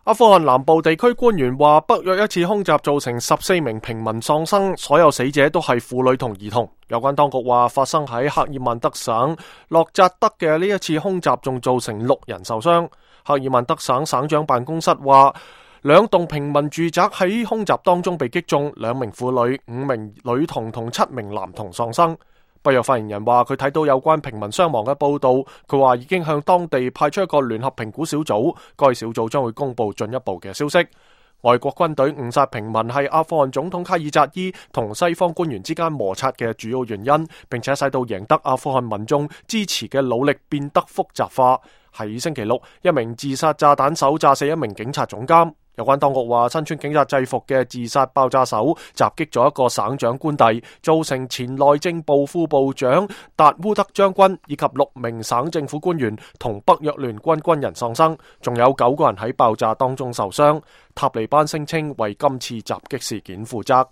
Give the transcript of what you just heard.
阿富汗南部地區官員話，北約一次空襲造成14名平民喪生，所有死者都係婦女同兒童。有關當局話，發生喺赫爾曼德省洛扎德嘅呢一次空襲仲造成6人受傷。赫爾曼德省省長辦公室話，2棟平民住宅喺空襲當中被擊中，2名婦女、5名女童同7名男童喪生。北約發言人話，佢睇到有關平民傷亡嘅報道，佢話已經向當地派出一個聯合評估小組，該小組將會公布進一步嘅消息。外國軍隊誤殺平民係阿富汗總統卡爾扎伊同西方官員之間摩擦嘅主要原因，並且使到贏得阿富汗民眾支持嘅努力變得複雜化。喺星期六，一名自殺炸彈手炸死一名警察總監。有關當局話，身穿警察制服嘅自殺爆炸手襲擊咗一個省長官邸，造成前內政部副部長達烏德將軍以及6名省政府官員同北約聯軍軍人喪生，仲有9個人喺爆炸當中受傷。塔利班聲稱為今次襲擊事件負責。